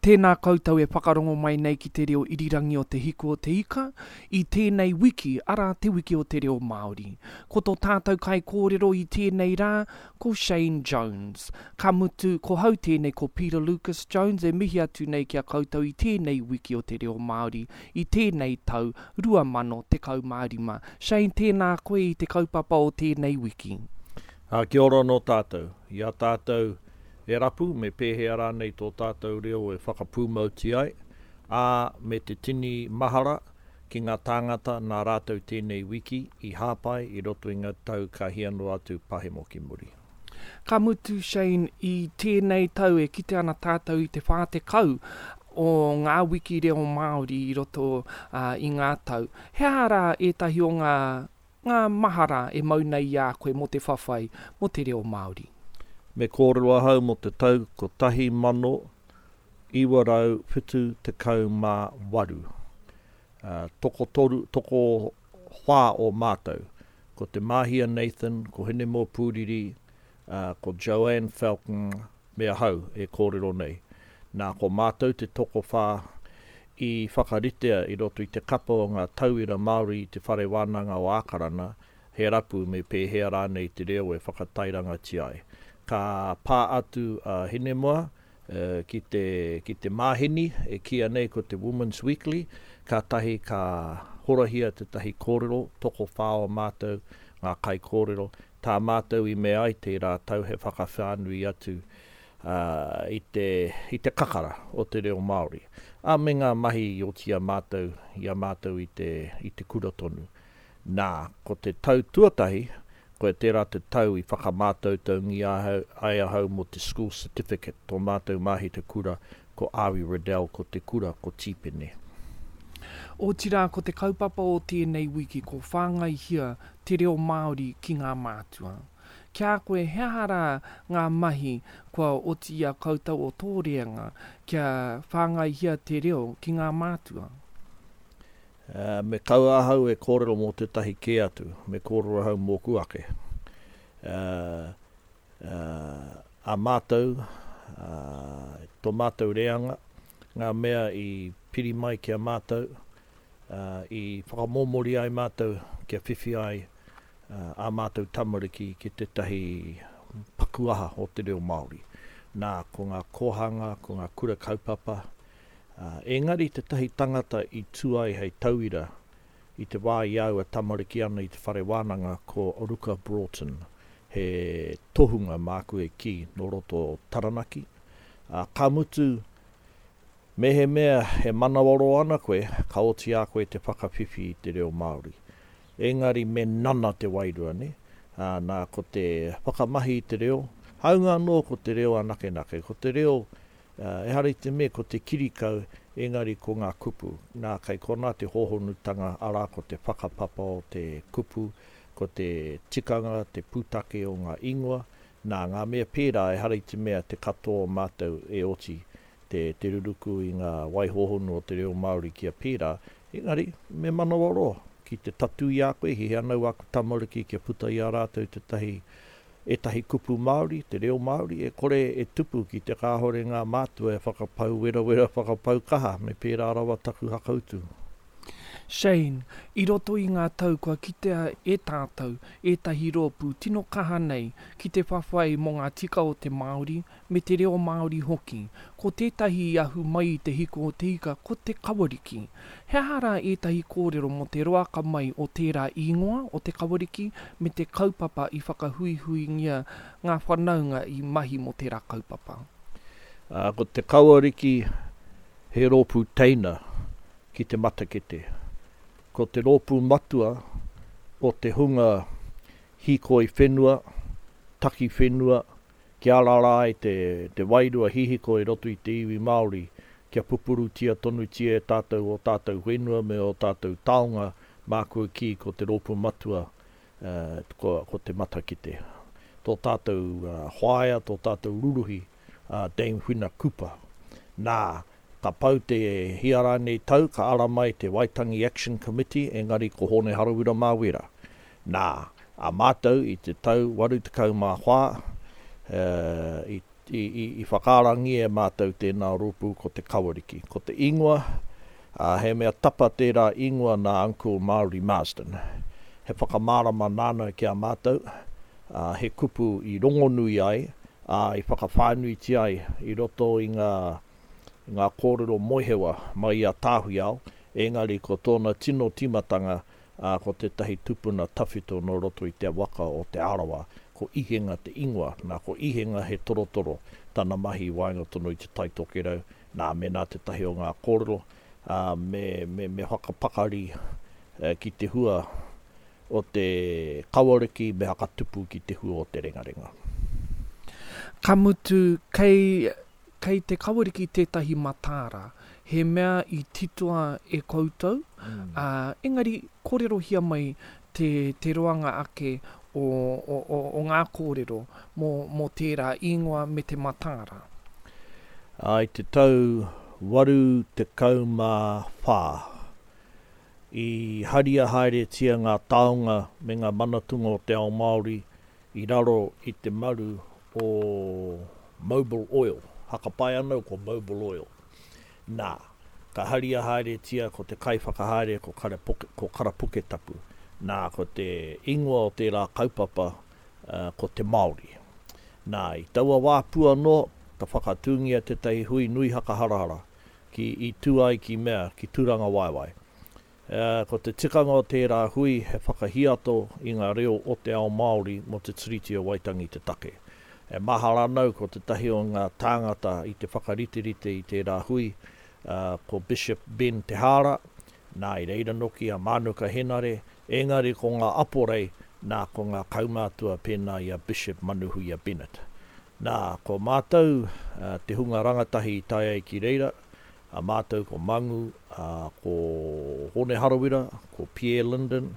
Tēnā koutou e whakarongo mai nei ki te reo irirangi o Te Hiku o Te Ika, i tēnei wiki, arā te wiki o te reo Māori. Ko tō tātou kaikōrero i tēnei rā, ko Shane Jones. Ka mutu, ko hau tēnei ko Peter Lucas Jones e mihi atu nei ki a koutou i tēnei wiki o te reo Māori, i tēnei tau 2015. Shane, tēnā koe i te kaupapa o tēnei wiki. Ā, kia ora anō tātou. I a tātou e rapu me pēhea rānei tō tātou reo e whakapūmautia ai, ā, me te tini mahara ki ngā tāngata nā rātou tēnei wiki i hāpai i roto i ngā tau ka hia noa atu pahemo ki muri. Ka mutu, Shane, i tēnei tau e kite ana tātou i te 40 o ngā wiki reo Māori i roto i ngā tau. He aha rā ētahi o ngā Ngā mahara e mau nei i a koe mō te whawhai mō te reo Māori. Me kōrero ahau mō te tau 1978. Tokotoru, tokowhā o mātou, ko Te Māhia Nathan, ko Hinemoa Pūriri, ko Joanne Falcon me ahau e kōrero nei. Nā, ko mātou te tokowhā i whakaritea i roto i te kapa o ngā tauira Māori i Te Whare Wānanga o Ākarana, he rapu me pēhea rānei te reo e whakatairangatia ai. Ka pā atu a Hinemoa ki te, ki te māheni e kīia nei ko te Women's Weekly, kātahi ka horahia tētahi kōrero, tokowhā o mātou ngā kaikōrero, Tā mātou i mea ai tērā tau he whakawhānui atu i te, i te kakara o te reo Māori, ā, me ngā mahi i oti i a mātou, i a mātou i te, i te kura tonu. Nā, ko te tau tuatahi, koia tērā te tau i whakamātautaungia ai ahau mō te School Certificate, tō mātou mahi te kura, ko Ari Riddell, ko te kura, ko Tīpene. Otirā, ko te kaupapa o tēnei wiki ko Whāngaihia te reo Māori ki ngā mātua. Ki a koe, he aha rā ngā mahi kua oti i a koutou o tō reanga kia whāngaihia te reo ki ngā mātua? Me kaua ahau e kōrero mō tētahi kē atu, me kōrero ahau mōku ake. A mātou, tō mātou reanga, ngā mea i piri mai ki a mātou, i whakamōmori ai mātou kia whiwhi ai ā mātou tamariki ki tētahi paku aha o te reo Māori. Nā, ko ngā kōhanga, ko ngā kura kaupapa, engari tētahi tangata i tū ai hei tauira i te wā i a au e tamariki ana i te whare wānanga ko Ruka Broughton, he tohunga māku e kī nō roto o Taranaki, ā, ka mutu, Mehemea e manawaroa ana koe, ka oti a koe te whakawhiwhi i te reo Māori. Engari me nana te wairua, nē? Ā, nā, ko te whakamahi i te reo, hāunga anō ko te reo anakenake, ko te reo, ehara i te mea ko te kirikau, engari ko ngā kupu. Nā, kei konā te hōhonutanga, arā, ko te whakapapa o te kupu, ko te tikanga, te pūtake o ngā ingoa. Nā, ngā mea pērā, ehara i te mea te katoa o mātou e oti te, te ruruku i ngā wai hōhonu o te reo Māori kia pērā, engari, me manawaroa ki te tatū i a koe, hiahia ana au āku tamariki kia puta i a rātou tētahi, ētahi kupu Māori, te reo Māori, e kore e tupu ki te kāore ngā mātua e whakapau werawera, whakapau kaha, me pērā rawa taku hakautu. Shane, i roto i ngā tau kua kitea e tātou ētahi rōpū tino kaha nei ki te whawhai mō ngā tika o te Māori me te reo Māori hoki. Ko tētahi i ahu mai i te hiko o te ika ko Te Kawariki. He aha rā ētahi kōrero mō te roaka mai o tērā īngoa o Te Kawariki me te kaupapa i whakahuihuingia ngā whanaunga i mahi mō tērā kaupapa? Ko Te Kawariki he rōpū teina ki te matakete. Ko te rōpū matua o te hunga hīkoi whenua, taki whenua, Kia arara ai te, te wairua hihiko i roto i te iwi Māori, kia pupurutia tonutia e tātou ō tātou whenua me ō tātou taonga, māku e kī ko te rōpū matua, ko, ko te matakite. Tō tātou whaea, tō tātou ruruhi, a Dame Whina Cooper. Nā, ka pau te hia rānei tau, ka ara mai te Waitangi Action Committee, engari ko Hōne Harawira Māwera. Nā, a mātou i te tau 84, i, I, i, i whakaarangia e mātou tēnā rōpū ko Te Kawariki. Ko te ingoa, ā, he mea tapa tērā ingoa nā Uncle Māori Marsden. He whakamārama nāna ki a mātou, ā, he kupu i rongonui ai, ā, i whakawhānuitia ai i roto i ngā, i ngā kōrero moehewa mai i a Tāwhiao, engari ko tōna tino tīmatanga, ā, ko tētahi tupuna tawhito nō roto i te waka o Te Arawa, ko Ihenga te ingoa. Nā, ko Ihenga he torotoro tana mahi i waenga tonu i Te Tai Tokerau, nā, mēnā tētahi o ngā kōrero, ā, me, me, me whakapakari ki te hua o te kawariki, me hakatupu ki te hua o te rengarenga. Ka mutu, kei Kei te kawariki tētahi mataara, he mea i titoa e koutou, ā, engari kōrerohia mai te, te roanga ake o, o, o, o ngā kōrero mō, mō tērā īngoa me te mataara. Ā, i te tau 84, i haria haeretia ngā taonga me ngā manatunga o te ao Māori i raro i te maru o Mobil Oil, hakapae ana ko Mobil Oil. Nā, ka haria haeretia ko te kaiwhakahaere ko ko Karapuketapu. Nā, ko te ingoa o tērā kaupapa ko Te Māori. Nā, i taua wā pū anō, ka whakatūngia tētahi hui nui hakaharahara ki i tū ai ki mea, ki Tūrangawaewae. Ko te tikanga o tērā hui he whakahiato i ngā reo o te ao Māori mō te Tiriti o Waitangi te take. E mahara ana au ko tētahi o ngā tāngata i te whakariterite i tērā hui, ko Bishop Ben Te Haara, nā i reira noki a Mānuka Henare, engari ko ngā aporei, nā ko ngā kaumātua pēnā i a Bishop Manuhuia Bennett. Nā, ko mātou te hunga rangatahi i tae ai ki reira, A mātou ko Mangu, ā, ko Hōne Harawira, ko Pierre Linden,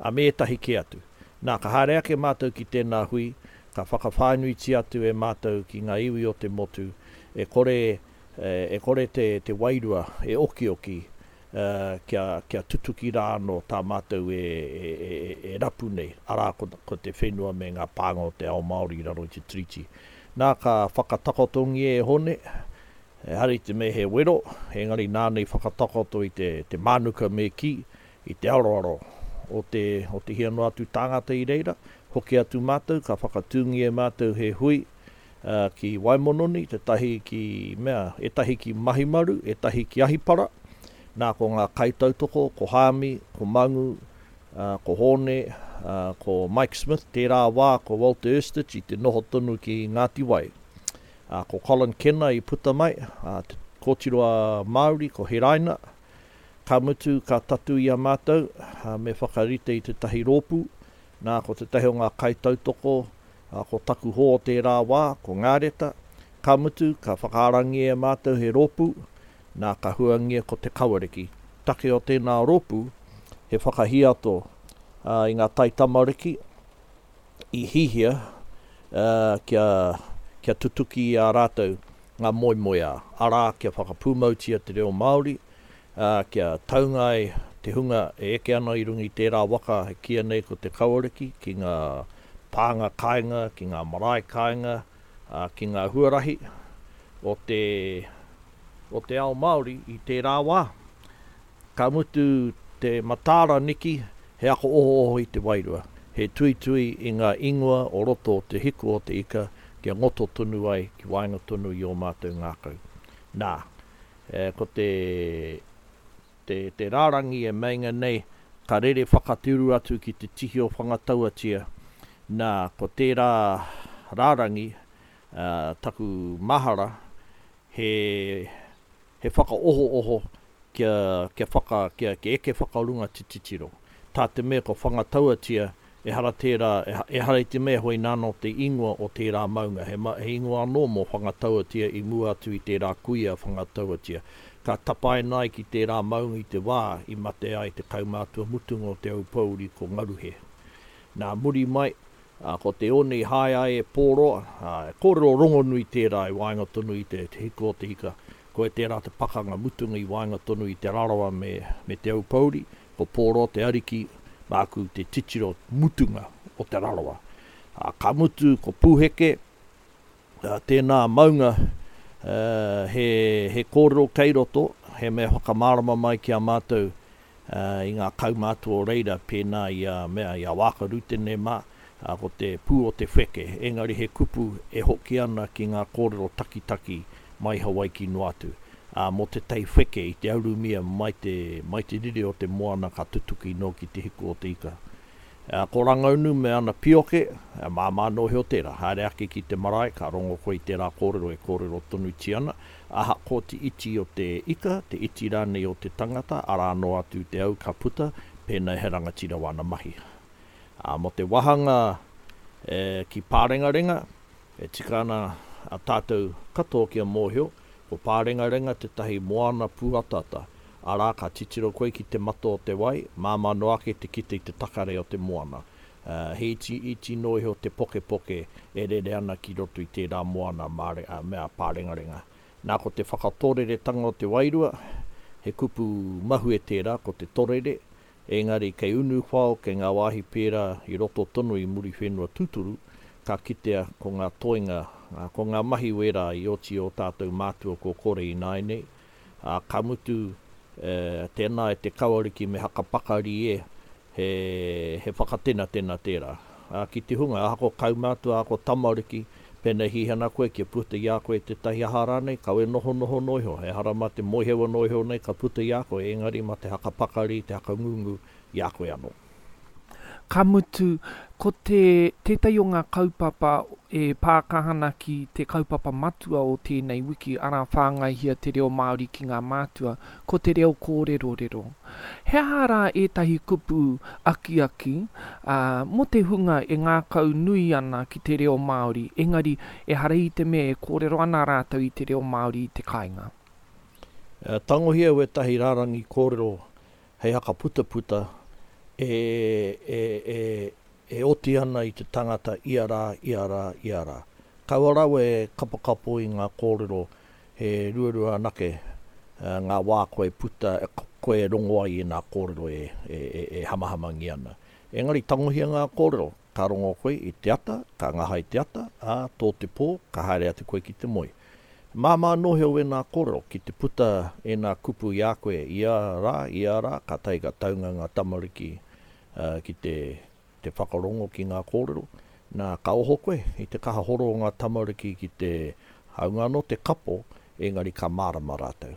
ā, me ētahi kē atu. Nā, ka haere ake mātou ki tēnā hui, ka whakawhānuitia atu e mātou ki ngā iwi o te motu, e kore, e kore te, te wairua e okioki, ā, kia, kia tutuki rā anō tā mātou e, e, e, e rapu nei, arā, ko, ko te whenua me ngā pānga o te ao Māori i raro i te Tiriti. Nā, ka whakatakotongia e Hōne, Ehara i te mea he wero, engari nāna i whakatakoto i te, te mānuka me kī, i te aroaro o te, o te hia noa atu tāngata i reira. Hoki atu mātou, ka whakatūngia e mātou he hui ki Waimononi, tētahi ki mea, ētahi ki Mahimaru, ētahi ki Ahipara. Nā, ko ngā kaitautoko, ko Hāmi, ko Mangu, ko Hōne, ko Mike Smith, tērā wā ko Walter Erstage i te noho tonu ki Ngāti Wai. Ā, ko Colin Kenna i puta mai, ā, te kōtiro a Māori, ko Heraina. Ka mutu, ka tatū i a mātou, ā, me whakarite i tētahi rōpū. Nā, ko tētahi o ngā kaitautoko, ā, ko taku hoa o tērā wā, ko Ngāreta. Ka mutu, ka whakaarangia e mātou he rōpū, nā, ka huangia ko Te Kawariki. Take o tēnā rōpū, he whakahiato, ā, i ngā taitamariki, i hihia kia, kia tutuki i a rātou ngā moemoeā, arā, kia whakapūmautia te reo Māori, ā, kia taunga ai te hunga e eke ana i runga i tērā waka e kīia nei ko Te Kawariki ki ngā pānga kāinga, ki ngā marae kāinga, ā, ki ngā huarahi o te, o te ao Māori i tērā wā. Ka mutu te mataara niki, he ako ohooho i te wairua, he tuitui i ngā ingoa o roto o te hiku o te ika kia ngoto tonu ai ki waenga tonu i ō mātou ngākau. Nā, ko te, te, te rārangi e meinga nei ka rere whakateuru atu ki te tihi o Whangatauatia, nā, ko tērā rārangi, taku mahara, he, he whakaohooho kia, kia whaka, kia, kia eke whakarunga te titiro. Tā te mea kua whangatauatia, ehara tērā, ehara i te mea hoi nāna te ingoa o tērā maunga, he, he ingoa anō mō Whangatauatia i mua atu i tērā kuia Whangatauatia. Ka tapaina ai ki tērā maunga i te wā i mate ai te kaumātua mutunga o Te Aupōuri ko Ngaruhe. Nā muri mai, ā, ko te one i hae ai e Pōroa, ā, he kōrero rongonui tērā i waenga tonu i te, te hiko o te ika, Koe tērā te pakanga mutunga i waenga tonu i Te Rarawa me, me Te Aupōuri, ko Pōroa te ariki, māku te titiro mutunga o Te Rarawa. Ā, ka mutu ko Pūheke, Tēnā maunga, he, he kōrero kei roto, he mea whakamārama mai ki a mātou i ngā kaumātua o reira pēnā i a mea, i a Waaka Rutene mā, ko te pū o te wheke, engari he kupu e hoki ana ki ngā kōrero takitaki mai Hawaiki noa atu. Ā, mō te tai wheke i te arumia mai te, mai te rire o te moana ka tutuki noa ki te hiku o te ika. Ā, ko Rangaunu me ana pioke, ā, māmā noa iho tērā. Haere ake ki te marae, ka rongo koe i tērā kōrero e kōrero tonutia ana, ahakoa te iti o te ika, te iti rānei o te tangata, arā noa atu te au ka puta, pēnā he rangatira wāna mahi. Ā, mō te wāhanga e, ki Pārengarenga, e tika ana a tātou katoa kia mōhio, ko Pārengarenga tētahi moana pūataata, arā, ka titiro koe ki te mata o te wai, māmā noa ake te kite i te takare o te moana. He itiiti noa iho te pokepoke e rere ana ki roto i tērā moana mea pārengarenga. Nā, ko te whakatōreretanga o te wairua, he kupu mahue tērā, ko te torere, engari kei Unuwhao, kei ngā wāhi pērā i roto tonu i Muriwhenua tūturu, ka kitea ko ngā toenga, ko ngā mahi wērā i oti i ō tātou mātua kua kore ināianei, Ā, ka mutu, e, tēnā e te kawariki me hakapakari e, he, he whakatenatena tērā. Ā, ki te hunga, ahakoa kaumātua, ahakoa tamariki, pēnei hihi ana koe kia puta i a koe tētahi aha rānei, kaua e nohonoho noa iho, ehara mā te moehewa noa iho nei ka puta i a koe, engari mā te hakapakari, te hakangungu i a koe anō. Ka mutu, ko te tētahi o ngā kaupapa e pā kaha ana ki te kaupapa matua o tēnei wiki, arā whāngaihia te reo Māori ki ngā mātua, ko te reo kōrerorero. He aha rā ētahi kupu akiaki, ā, mō te hunga e ngākau nui ana ki te reo Māori, engari ehara i te mea e kōrero ana rātou i te reo Māori i te kāinga? Tangohia wētahi rārangi kōrero hei hakaputaputa e, e, e, e oti ana i te tangata ia rā, ia rā, ia rā. Kaua rawa e kapokapo i ngā kōrero he ruarua anake ngā wā koe puta, koe e rongo ai i ngā kōrero e, e, e, e hamahamangia ana. Engari tangohia ngā kōrero, ka rongo koe i te ata, ka ngahai te ata, ā, tō te pō, ka haere atu koe ki te moe. Māmā noa iho wēnā kōrero, ki te puta ēnā kupu i a koe ia rā, ia rā, kātahi ka taunga ngā tamariki ki te te whakarongo ki ngā kōrero, nā, ka oho koe i te kaha horo o ngā tamariki ki te, hāunga anō te kapo, engari ka mārama rātou.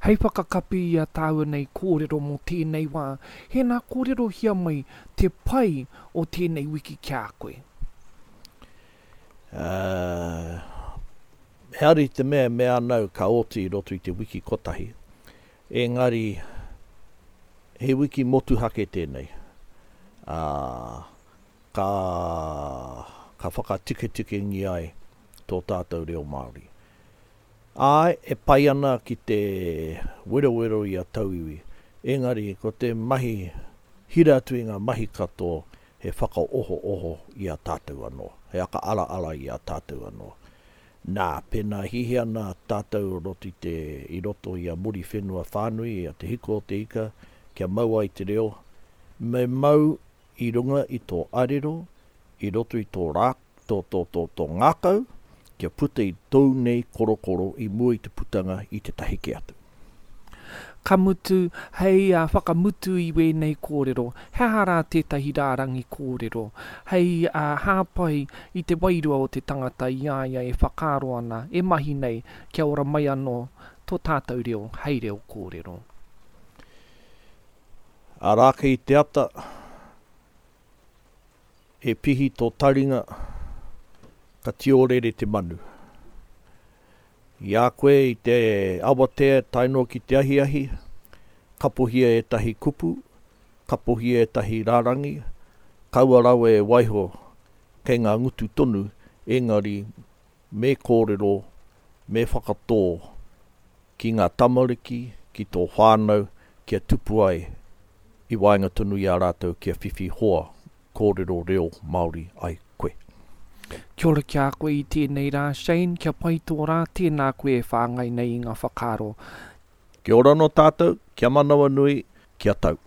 Hei whakakapi i a tāua nei kōrero mō tēnei wā, hēnā kōrerohia mai te pai o tēnei wiki ki a koe. Ā, ehara i te mea e mea ana au ka oti i roto i te wiki kotahi, engari he wiki motuhake tēnei, ā, ka, ka whakatiketikengia ai tō tātou reo Māori. Āe, e pai ana ki te werowero i a tauiwi, engari ko te mahi hira atu i ngā mahi katoa he whakaohooho i a tātou anō, he aka-araara i a tātou anō. Nā, pēnā hihi ana tātou o roto i te, i roto i a Muriwhenua whānui, i a Te Hiko o te Ika, kia mau ai te reo, me mau i runga i tō arero, i roto i tō rā, tō, tō, tō, tō ngākau, kia puta i tōu nei korokoro i mua i te putanga i tētahi kē atu. Ka mutu, hei whakamutu i wēnei kōrero, he aha rā tētahi rārangi kōrero hei hāpai i te wairua o te tangata i a ia e whakaaro ana, e mahi nei kia ora mai anō tō tātou reo hei reo kōrero? Arā kei te ata, E pihi tō taringa, ka tiorere te manu. I a koe i te awatea tae noa ki te ahiahi, kapohia ētahi kupu, kapohia ētahi rārangi, kaua rawa e waiho kei ngā ngutu tonu, engari me kōrero, me whakatō ki ngā tamariki, ki tō whānau, kia tupu ai i waenga tonu i a rātou kia whiwhi hoa kōrero reo Māori ai koe. Kia ora ki a koe i tēnei rā, Shane, kia pai tō rā, tēnā koe e whāngai nei i ngā whakaaro. Kia ora anō tātou, kia manawanui, kia tau.